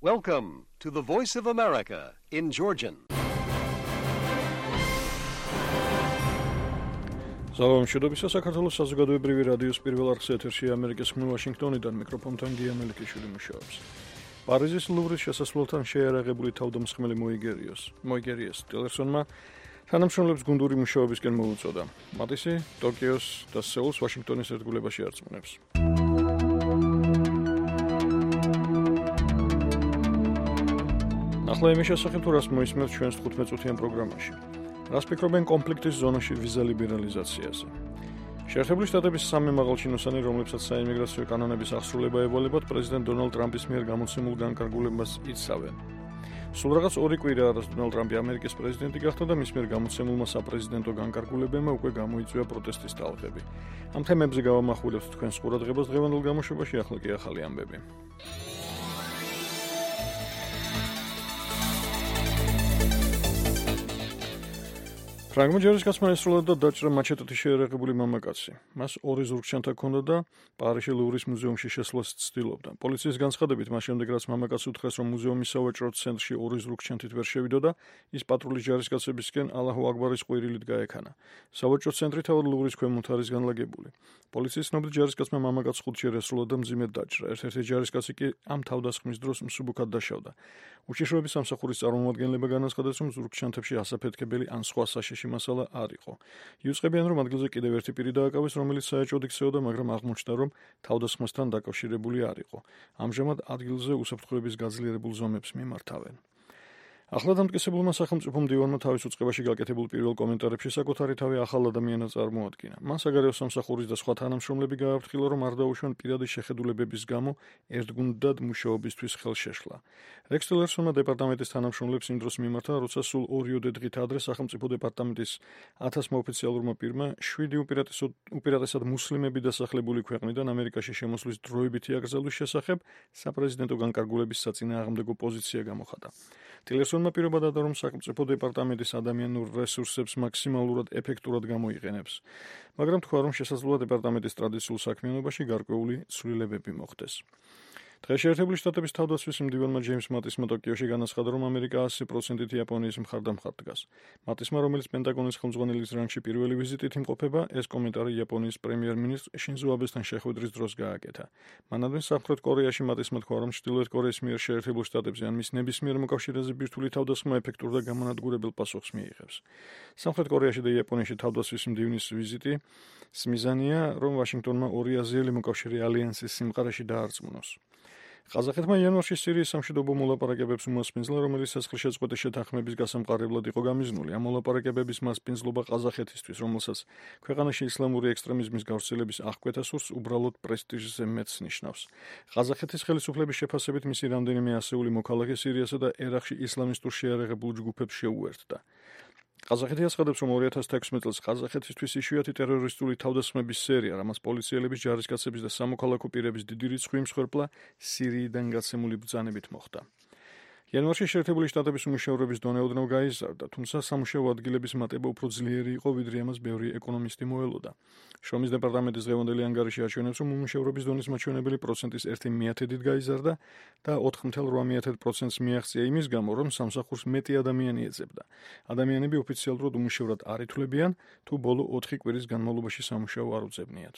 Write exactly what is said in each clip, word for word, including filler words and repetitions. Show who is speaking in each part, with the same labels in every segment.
Speaker 1: Welcome to the Voice of America in Georgian.
Speaker 2: Salam შედობისა საქართველოს საზოგადოებრივი რადიოს პირველ არხს ეთერში ამერიკის ხმ ვაშინგტონიდან მიკროფონთან გია მელიქიშვილი მუშაობს. პარიზის ლუვრის შესასვლელთან შეიარაღებული თავდამსხმელი მოიგერიოს. მოიგერიეს ტილერსონმა თანამშრომლებს გუნდური მუშაობისკენ მოუწოდა. მათისი ტოკიოს და სეულს ვაშინგტონის ერთგულებაში არწმუნებს. ახლა იმის შესახებ თუ რას მოისმენთ ჩვენს თხუთმეტ-წუთიან პროგრამაში. რას ფიქრობენ კონფლიქტის ზონაში ვიზა ლიბერალიზაციაზე? შეერთებული შტატების სამი მაღალჩინოსანი, რომლებსაც საიმიგრაციო კანონების აღსრულება ევალებათ, პრეზიდენტ დონალდ ტრამპის მიერ გამოცემულ განკარგულებას იცავენ. სულ რაღაც ორი კვირა არის დონალდ ტრამპი ამერიკის პრეზიდენტი გახდა და მის მიერ გამოცემულმა საპრეზიდენტო განკარგულებებმა უკვე გამოიწვია პროტესტის ტალღები. ამ თემებზე გავამახვილებთ თქვენს ყურადღებას დღევანდელ გამოშვებაში, ახლა კი ახალი ამბები. ფრანგმა ჯარისკაცმა ესროლა და დაჭრა მაჩეტით შეერაღებული მამაკაცი. მას ორი ზურგჩანთა ჰქონდა და პარიზში ლუვრის მუზეუმში შესვლას ცდილობდა. პოლიციის განცხადებით, მას შემდეგ რაც მამაკაცს უთხრეს, რომ მუზეუმის სავაჭრო ცენტრში ორი ზურგჩანთით ვერ შევიდოდა, ის პატრულის ჯარისკაცებისკენ ალაჰუ აკბარის ყვირილით გაექანა. სავაჭრო ცენტრი თავად ლუვრის ქვემოთ არის განლაგებული. პოლიციის ცნობით, ჯარისკაცმა მამაკაცს ხუთჯერ ესროლა და მძიმედ დაჭრა. ერთ-ერთი ჯარისკაცი კი ამ თავდასხმის დროს მსუბუქად დაშავდა. უშიშროების სამსახურის წარმომადგენლება განაცხადეს, რომ ზურგჩანთებში ასაფეთქებელი ან სხვა საშიში მასალა არ იყო. იუწყებიან, რომ ადგილზე კიდევ ერთი პირი დააკავეს, რომელიც საეჭვოდ იქცეოდა, მაგრამ აღმოჩნდა, რომ თავდასხმასთან დაკავშირებული არ იყო. ამჟამად ადგილზე უსაფრთხოების გაძლიერებულ ზომებს მიმართავენ. ახლა დამტკიცებულმა სახელმწიფო მდივანმა თავის უწყებაში გაკეთებულ პირველ კომენტარებში საკუთარი თავი ახალ ადამიანად წარმოადგინა. მან საგარეო სამსახურის და სხვა თანამშრომლები გააფრთხილა, რომ არ დაუშვან პირადი შეხედულებების გამო ერთგუნდად მუშაობისთვის ხელშეშლა. რექს ტილერსონმა დეპარტამენტის თანამშრომლებს იმ დროს მიმართა, როცა სულ ორიოდე დღით ადრე სახელმწიფო დეპარტამენტის ათასმა ოფიციალურმა პირმა შვიდი უპირატესად მუსლიმები დასახლებული ქვეყნიდან ამერიკაში შემოსვლის დროებითი აკრძალვის შესახებ საპრეზიდენტო განკარგულების საწინააღმდეგო პოზიცია გამოხატა. ტილერსონმა პირობა დადა, რომ სახელმწიფო დეპარტამენტის ადამიანურ რესურსებს მაქსიმალურად ეფექტურად გამოიყენებს, მაგრამ თქვა, რომ შესაძლოა დეპარტამენტის ტრადიციულ საქმიანობაში გარკვეული ცვლილებები მოხდეს. დღეს შეერთებული შტატების თავდაცვის მდივანმა ჯეიმს მატისმა ტოკიოში განაცხადა, რომ ამერიკა ასი პროცენტით იაპონიის მხარდამხარ დგას. მატისმა, რომელიც პენტაგონის ხელმძღვანელის რანგში პირველი ვიზიტით იმყოფება, ეს კომენტარი იაპონიის პრემიერ-მინისტრ შინზო აბესთან შეხვედრის დროს გააკეთა. მანამდე სამხრეთ კორეაში მატისმა თქვა, რომ ჩრდილოეთ კორეის მიერ შეერთებულ შტატებზე ან მის ნებისმიერ მოკავშირეზე ბირთვული თავდასხმა ეფექტურ და გამონადგურებელ პასუხს მიიღებს. სამხრეთ კორეაში და იაპონიაში თავდაცვის მდივნის ვიზიტი მიზანია, რომ ვაშინგტონმა ორი აზიელი მოკავშირე ალიანსის სიმყარეში დაარწმუნოს. ყაზახეთმა იანვარში სირიის სამშვიდობო მოლაპარაკებებს უმასპინძლა, რომელიც სისხლშეწყვეტის შეთანხმების გასამყარებლად იყო გამიზნული. ამ მოლაპარაკებების მასპინძლობა ყაზახეთისთვის, რომელსაც ქვეყანაში ისლამური ექსტრემიზმის გავრცელების აღკვეთა სურს, უბრალოდ პრესტიჟზე მეტს ნიშნავს. ყაზახეთის ხელისუფლების შეფასებით მისი რამდენიმე ასეული მოქალაქე სირიასა და ერაყში ისლამისტურ შეიარაღებულ ჯგუფებს შეუერთდა. ყაზახეთი აცხადებს, რომ ორი ათას თექვსმეტ წელს ყაზახეთისთვის იშვიათი ტერორისტული თავდასხმების სერია, რამაც პოლიციელების, ჯარისკაცების და სამოქალაქო პირების დიდი რიცხვი იმსხვერპლა სირიიდან გაცემული ბრძანებით მოხდა. იანვარში შეერთებული შტატების უმუშევრობის დონე ოდნავ გაიზარდა, თუმცა სამუშაო ადგილების მატება უფრო ძლიერი იყო, ვიდრე ამას ბევრი ეკონომისტი მოელოდა. შრომის დეპარტამენტის დღევანდელი ანგარიში აჩვენებს, რომ უმუშევრობის დონის მაჩვენებელი პროცენტის ერთი მიათედით გაიზარდა და ოთხ მეთერთმეტ რვა პროცენტს მიაღწია იმის გამო, რომ სამსახურს მეტი ადამიანი ეძებდა. ადამიანები ოფიციალურად უმუშევრად არ ითვლებიან, თუ ბოლო ოთხი კვირის განმავლობაში სამუშაო არ უძებნიათ.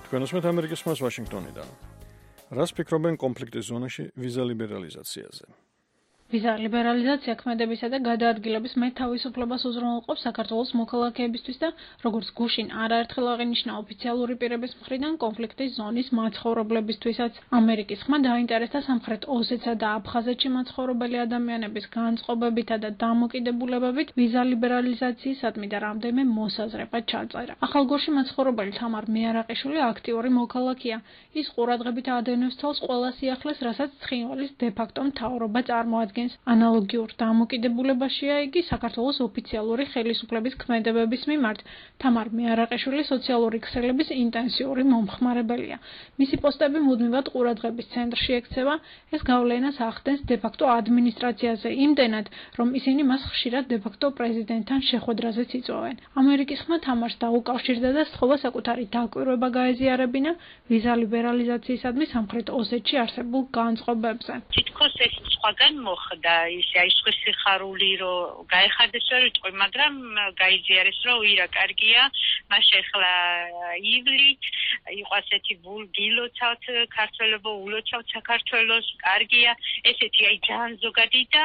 Speaker 2: თქვენოსმეთ ამერიკის ხმას ვაშინგტონიდან. რას ფიქრობენ კონფლიქტის ზონაში ვიზა ლიბერალიზაციაზე?
Speaker 3: ვიზა ლიბერალიზაცია ქმედებისა და გადაადგილების მეტ თავისუფლებას უზრუნველყოფს საქართველოს მოქალაქეებისთვის და როგორც გუშინ არაერთხელ აღინიშნა ოფიციალური პირების მხრიდან კონფლიქტის ზონის მაცხოვრებლებისთვისაც. ამერიკის ხმა დაინტერესდა სამხრეთ ოსეთსა და აფხაზეთში მაცხოვრებელი ადამიანების განწყობებითა და დამოკიდებულებებით ვიზა ლიბერალიზაციისადმი და რამდენიმე მოსაზრება ჩაწერა. ახალგორში მაცხოვრებელი თამარ მეარაყიშვილი აქტიური მოქალაქეა. ის ყურადღებით ადევნებს თავს ყველა სიახლეს, რასაც ცხინვალის დე-ფაქტო მთავრობა წარმოადგენს. წარმოადგენს. ანალოგიურ დამოკიდებულებაშია იგი საქართველოს ოფიციალური ხელისუფლების ქმედებების მიმართ. თამარ მეარაყიშვილი სოციალური ქსელების ინტენსიური მომხმარებელია. მისი პოსტები მუდმივად ყურადღების ცენტრში ექცევა, ეს გავლენას ახდენს დე-ფაქტო ადმინისტრაციაზე იმდენად, რომ ისინი მას ხშირად დე-ფაქტო პრეზიდენტთან შეხვედრაზეც იწვევენ. ამერიკის ხმა თამარს დაუკავშირდა და სთხოვა საკუთარი დაკვირვება გაეზიარებინა ვიზა ლიბერალიზაციისადმი სამხრეთ ოსეთში არსებულ განწყობებზე.
Speaker 4: თითქოს ეს სხვაგან მოხდა, ის აი სხვა სიხარული რომ გაეხარდეს ვერ ვიტყვი, მაგრამ გაიზიარეს რომ ირა კარგია, მას ახლა ივლით იყო ასეთი გილოცავთ ქართველებო ულოცავთ საქართველოს, კარგია, ესეთი აი ძალიან ზოგადი და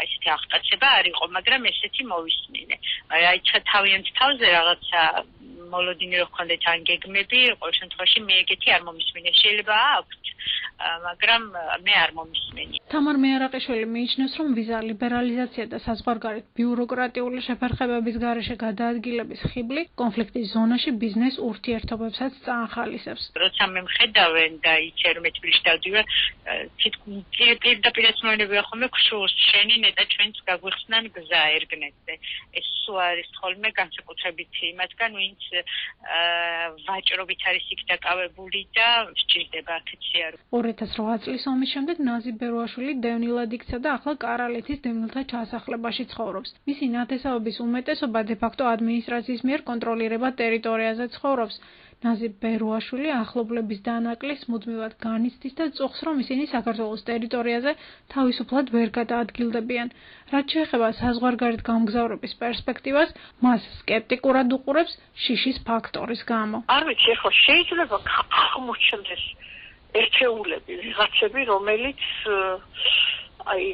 Speaker 4: ესეთი აღტაცება არ იყო, მაგრამ ესეთი მოვისმინე. აი თავიანთ თავზე რაღაცა მოლოდინი რო ხონდეთ ან გეგმები, ყოველ შემთხვევაში მე ეგეთი არ მომისმინე. შეიძლება აქვთ, მაგრამ მე არ მომისმენი.
Speaker 3: თამარ მეარაყიშვილი მიიჩნევს, რომ ვიზა ლიბერალიზაცია და საზღვარგარეთ ბიუროკრატიული შეფერხებების გარეშე გადაადგილების ხიბლი კონფლიქტის ზონაში ბიზნეს ურთიერთობებსაც წაახალისებს.
Speaker 4: როცა მე მხედავენ და იცი რომ თბილისში დავდივარ, პირდაპირ ეცნობებია ხოლმე ქშურს შენი ნეტა ჩვენც გაგვიხსნან გზა ერგნეთზე. ეს სულ არის ხოლმე განსაკუთრებით იმათგან, ვინც ვაჭრობით არის იქ დაკავებული და სჭირდება აქცია.
Speaker 3: ორი ათას რვა წლის ომის შემდეგ ნაზი ბერუაშვილი დევნილად იქცა და ახლა კარალეთის დევნილთა ჩასახლებაში ცხოვრობს. მისი ნათესავების უმეტესობა დე-ფაქტო ადმინისტრაციის მიერ კონტროლირებად ტერიტორიაზე ცხოვრობს. ნაზი ბერუაშვილი ახლობლების დანაკლისს მუდმივად განიცდის და წუხს, რომ ისინი საქართველოს ტერიტორიაზე თავისუფლად ვერ გადაადგილდებიან. რაც შეეხება საზღვარგარეთ გამგზავრების პერსპექტივას, მას სკეპტიკურად უყურებს შიშის ფაქტორის გამო.
Speaker 5: არ ვიცი, ხო შეიძლება აღმოჩნდეს ერთეულები, ვიღაცები, რომელიც აი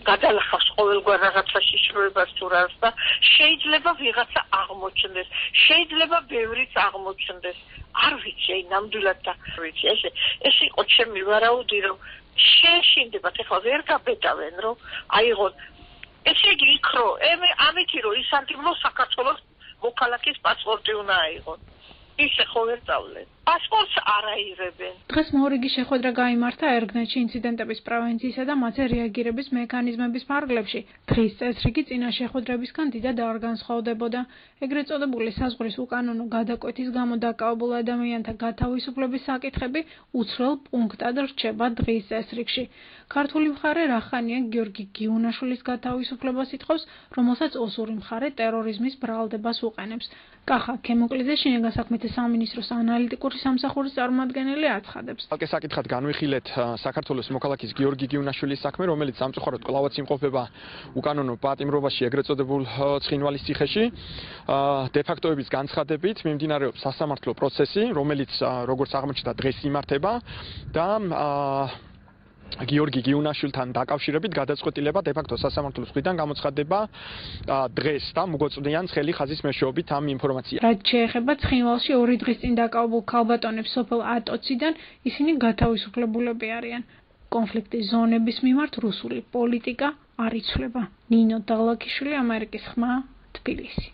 Speaker 5: გადალახავს ყოველგვარ რაღაცაში შროებას თუ რას და შეიძლება ვიღაცა აღმოჩნდეს, შეიძლება ბევრიც აღმოჩნდეს. არ ვიცი, აი ნამდვილად და ვიცი, ეს ეს იყო ჩემი ვარაუდი, რომ შეშინდებათ, ეხლა ვერ გაბედავენ, რომ აიღონ. ესე იგი იქ რო, ამითი რომ ისანტიმლო საქართველოს მოქალაქის პასპორტი უნდა აიღონ. ისე ხო ვერ წავლენ. პასპორტს არ აიღებენ.
Speaker 3: დღეს მორიგი შეხვედრა გაიმართა ერგნეთში ინციდენტების პრევენციისა და მათზე რეაგირების მექანიზმების ფარგლებში. დღის წესრიგი წინა შეხვედრებისგან დიდად არ განსხვავდებოდა. ეგრეთ წოდებული საზღვრის უკანონო გადაკვეთის გამო დაკავებულ ადამიანთა გათავისუფლების საკითხები უცვლელ პუნქტად რჩება დღის წესრიგში. ქართული მხარე რახანია გიორგი გიუნაშვილის გათავისუფლებას ითხოვს, რომელსაც ოსური მხარე ტერორიზმის ბრალდებას უყენებს. კახა ქემოკლიძე შინაგან საქმეთა სამინისტროს ანალიტიკური სამსახურის წარმომადგენელი აცხადებს.
Speaker 6: ალკე საკითხად განვიხილეთ საქართველოს მოქალაქის გიორგი გიუნაშვილის საქმე, რომელიც სამწუხაროდ კვლავაც იმყოფება უკანონო პატიმრობაში ეგრეთ წოდებულ ცხინვალის ციხეში. დე-ფაქტოების განცხადებით მიმდინარეობს სასამართლო პროცესი, რომელიც როგორც აღმოჩნდა დღეს იმართება და გიორგი გიუნაშვილთან დაკავშირებით გადაწყვეტილება დე-ფაქტო სასამართლოს მხრიდან გამოცხადება დღეს და მოგოწვდიან ცხელი ხაზის მეშვეობით ამ ინფორმაციას.
Speaker 3: რაც შეეხება ცხინვალში ორი დღის წინ დაკავებულ ქალბატონებს სოფელ ატოციდან, ისინი გათავისუფლებულები არიან. კონფლიქტის ზონების მიმართ რუსული პოლიტიკა არ იცვლება. ნინო დალაკიშვილი, ამერიკის ხმა, თბილისი.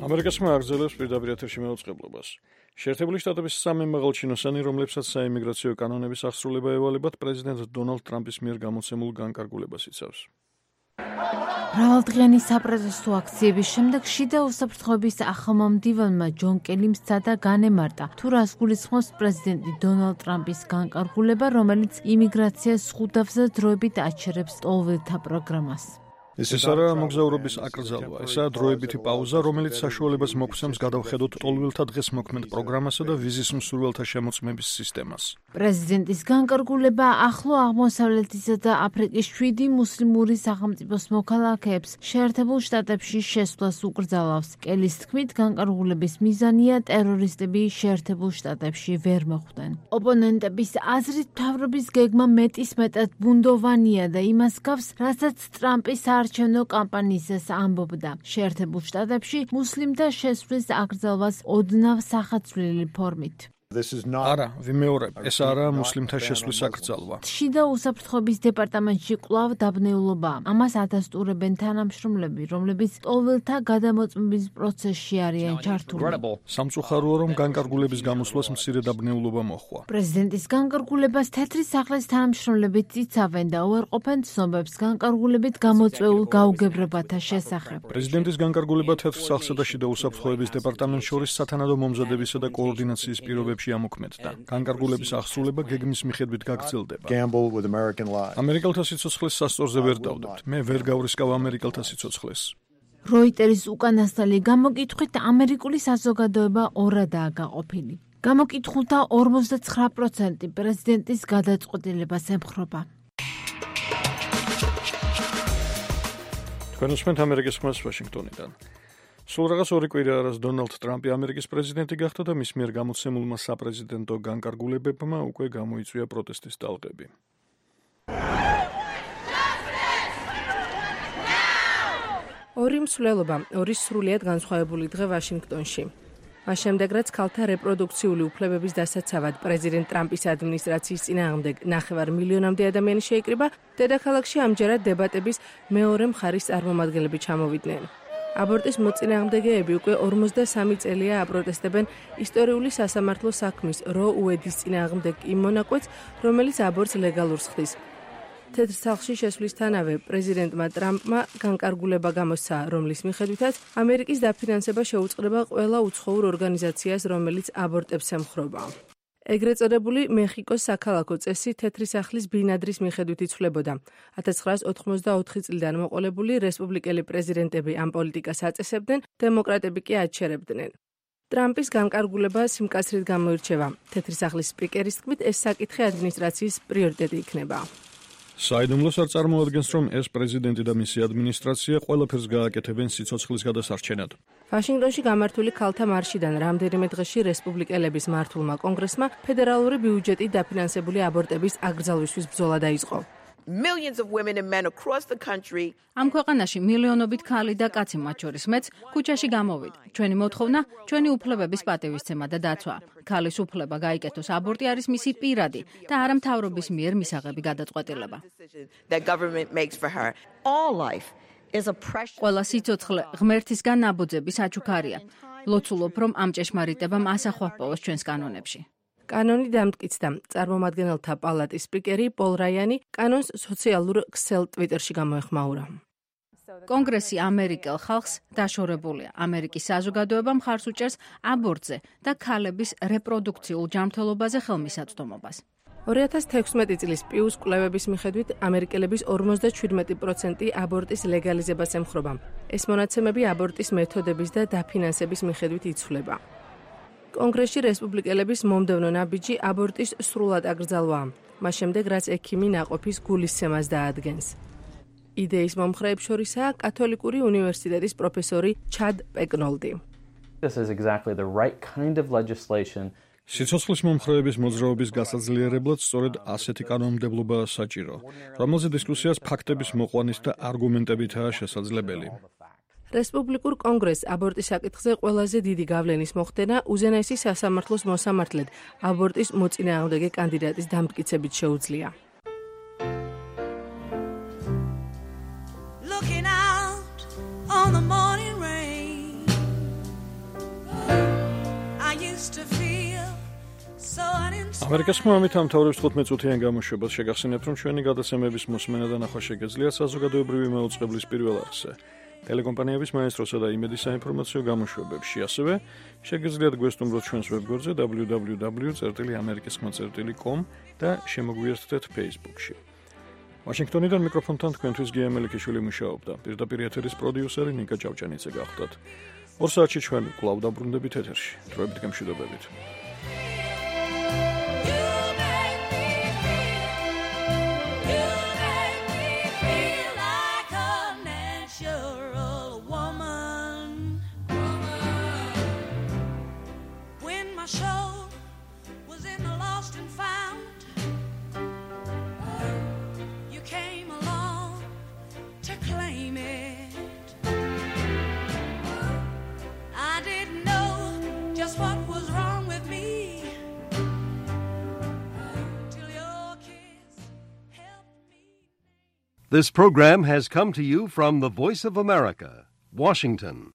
Speaker 2: ამერიკის ხმა აგრძელებს პირდაპირ ეთერში მეუწყებლობას. შეერთებული შტატების სამი მაღალჩინოსანი, რომლებსაც საიმიგრაციო კანონების აღსრულება ევალებათ, პრეზიდენტ დონალდ ტრამპის მიერ გამოცემულ განკარგულებას იცავს.
Speaker 7: მრავალდღიანი საპროტესტო აქციების შემდეგ შიდა უსაფრთხოების ახალმომდივანმა ჯონ კელიმ სცადა განემარტა, თუ რას გულისხმობს პრეზიდენტი დონალდ ტრამპის განკარგულება, რომელიც იმიგრაციას ზღუდავს და დროებით აჩერებს ტოლველთა პროგრამას.
Speaker 2: ეს ის არა მოგზაურობის აკრძალვა, ესაა დროებითი პაუზა, რომელიც საშუალებას მოგვცემს გადავხედოთ ტოლველთა დღეს მოქმედ პროგრამასა და ვიზის მსურველთა შემოწმების სისტემას.
Speaker 7: პრეზიდენტის განკარგულება ახლო აღმოსავლეთისა და აფრიკის შვიდი მუსლიმური სახელმწიფოს მოქალაქეებს შეერთებულ შტატებში შესვლას უკრძალავს. კელის თქმით, განკარგულების მიზანია ტერორისტები შეერთებულ შტატებში ვერ მოხვდნენ. ოპონენტების აზრით, მთავრობის გეგმა მეტისმეტად ბუნდოვანია და იმას გავს, რასაც ტრამპის არჩევნო კამპანიისას ამბობდა. შეერთებულ შტატებში მუსლიმთა შესვლის აკრძალვას ოდნავ სახაცვლილი ფორმით.
Speaker 2: არა, ვიმეორებ, ეს არაა მუსლიმთა შესვლის აკრძალვა.
Speaker 7: შიდა უსაფრთხოების დეპარტამენტში კვლავ დაბნეულობა. ამას ადასტურებენ თანამშრომლები, რომლებიც ტოველთა გადამოწმების პროცესში არიან ჩართული.
Speaker 2: სამწუხაროა, რომ განკარგულების გამოსვლას მცირე დაბნეულობა მოჰყვა.
Speaker 7: პრეზიდენტის განკარგულებას თეთრი სახლის თანამშრომლები ციცავენ და უარყოფენ ცნობებს განკარგულებით გამოწვეულ გაუგებრებათა შესახებ.
Speaker 2: პრეზიდენტის განკარგულება თეთრ სახლსა და შიდა უსაფრთხოების დეპარტამენტ შორის სათანადო მომზადებისა და კოორდინაციის პირობებში ამოქმედდა. განკარგულების აღსრულება გეგმის მიხედვით გაგრძელდება. ამერიკელთა სიცოცხლეს სასწორზე ვერ დავდებთ. მე ვერ გავრისკავ ამერიკელთა სიცოცხლეს.
Speaker 7: როიტერის უკანასკნელი გამოკითხვით ამერიკული საზოგადოება ორადაა გაყოფილი. გამოკითხულთა ორმოცდაცხრა პროცენტი პრეზიდენტის გადაწყვეტილებას ემხრობა.
Speaker 2: თქვენ უსმენთ ამერიკის ხმას ვაშინგტონიდან. სულ რაღაც ორი კვირა არის დონალდ ტრამპი ამერიკის პრეზიდენტი გახდა და მის მიერ გამოცემულმა საპრეზიდენტო განკარგულებებმა უკვე გამოიწვია პროტესტის ტალღები.
Speaker 8: ორი მსვლელობა, ორი სრულიად განსხვავებული დღე ვაშინგტონში. მას შემდეგ, რაც ქალთა რეპროდუქციული უფლებების დასაცავად პრეზიდენტ ტრამპის ადმინისტრაციის წინააღმდეგ ნახევარ მილიონამდე ადამიანი შეიკრიბა, დედაქალაქში ამჯერად დებატების მეორე მხარის წარმომადგენლები ჩამოვიდნენ. აბორტის მოწინააღმდეგეები უკვე ორმოცდასამი წელია აპროტესტებენ ისტორიული სასამართლო საქმის რო უედის წინააღმდეგ იმ მონაკვეთს, რომელიც აბორტს ლეგალურს ხდის. თეთრ სახლში შესვლისთანავე პრეზიდენტმა ტრამპმა განკარგულება გამოსცა, რომლის მიხედვითაც ამერიკის დაფინანსება შეუწყდება ყველა უცხოურ ორგანიზაციას, რომელიც აბორტებს ემხრობა. ეგრეთ წოდებული მეხიკოს საქალაქო წესი თეთრი სახლის ბინადრის მიხედვით იცვლებოდა. ათას ცხრაას ოთხმოცდაოთხი წლიდან მოყოლებული რესპუბლიკელი პრეზიდენტები ამ პოლიტიკას აწესებდნენ, დემოკრატები კი აჩერებდნენ. ტრამპის განკარგულება სიმკაცრით გამოირჩევა. თეთრი სახლის სპიკერის თქმით, ეს საკითხი ადმინისტრაციის პრიორიტეტი იქნება.
Speaker 2: საიდუმლოს არ წარმოადგენს, რომ ეს პრეზიდენტი და მისი ადმინისტრაცია ყველაფერს გააკეთებენ სიცოცხლის გადასარჩენად.
Speaker 8: ვაშინგტონში გამართული ქალთა მარშიდან რამდენიმე დღეში რესპუბლიკელების მართულმა კონგრესმა ფედერალური ბიუჯეტით დაფინანსებული აბორტების აკრძალვისთვის ბრძოლა დაიწყო.
Speaker 9: Millions of women and men across the country.
Speaker 10: ამ ქვეყანაში მილიონობით ქალი და კაცი მათ შორის მეც ქუჩაში გამოვიდა. ჩვენი მოთხოვნა, ჩვენი უფლებების პატივისცემა და დაცვა. ქალის უფლება გაიკეთოს აბორტი არის მისი პირადი და არა მთავრობის მიერ მისაღები გადაწყვეტილება.
Speaker 9: That government makes for her. All life is a precious.
Speaker 10: ყველა სიცოცხლე ღმერთისგან ნაბოძების აჩუქარია. ლოცულობ, რომ ამ ჭეშმარიტებამ ასახვა პოვოს ჩვენს კანონებში.
Speaker 8: კანონი დამტკიცდა. წარმომადგენელთა პალატის სპიკერი პოლ რაიანი კანონს სოციალურ ქსელ ტვიტერში გამოეხმაურა.
Speaker 10: კონგრესი ამერიკელ ხალხს დაშორებულია. ამერიკის საზოგადოება მხარს უჭერს აბორტზე და ქალების რეპროდუქციულ ჯანმრთელობაზე ხელმისაწვდომობას.
Speaker 8: ორი ათას თექვსმეტი წლის პიუს კვლევების მიხედვით ამერიკელების ორმოცდაშვიდმეტი პროცენტი აბორტის ლეგალიზებას ემხრობა. ეს მონაცემები აბორტის მეთოდების და დაფინანსების მიხედვით იცვლება. კონგრესში რესპუბლიკელების მომდევნო ნაბიჯი აბორტის სრულად აკრძალვაა. მას შემდეგ, რაც ექიმი ნაყოფის გულისცემას დაადგენს. იდეის მომხრეებს შორისაა კათოლიკური უნივერსიტეტის პროფესორი ჩად პეკნოლდი.
Speaker 11: This is exactly the right kind of legislation.
Speaker 2: სიცოცხლის მომხრეების მოძრაობის გასაძლიერებლად სწორედ ასეთი კანონმდებლობაა საჭირო, რომელზე დისკუსიას ფაქტების მოყვანის და არგუმენტებითაა შესაძლებელი.
Speaker 8: რესპუბლიკურ კონგრესს აბორტის საკითხზე ყველაზე დიდი გავლენის მოხდენა უზენაესი სასამართლოს მოსამართლედ აბორტის მოწინააღმდეგე კანდიდატის დამტკიცებით შეუძლია.
Speaker 2: ამერიკის ხმამით ამთავრებს თხუთმეტ წუთიან გამოშვებას შეგახსენებთ, რომ ჩვენი გადაცემების მოსმენა და ნახვა შეგეძლიათ საზოგადოებრივი მაუწყებლის პირველ არხზე. ტელეკომპანიების მაესტროსა და იმედის საინფორმაციო გამოშვებებში, ასევე შეგეძლიათ გვესტუმროთ ჩვენს ვებგვერდზე დაბლიუ დაბლიუ დაბლიუ წერტილი ამერიკის ხმა წერტილი კომ და შემოგვიერთდეთ Facebook-ში. ვაშინგტონიდან მიკროფონთან თქვენთვის გია მელიქიშვილი მუშაობდა. პირდაპირ ეთერის პროდიუსერი ნიკა ჭავჭანიძე გახლდათ. ორ საათში ჩვენ კვლავ დაბრუნდებით ეთერში. დროებით გემშვიდობებით.
Speaker 12: Just what was wrong with me.
Speaker 1: This program has come to you from the Voice of America, Washington.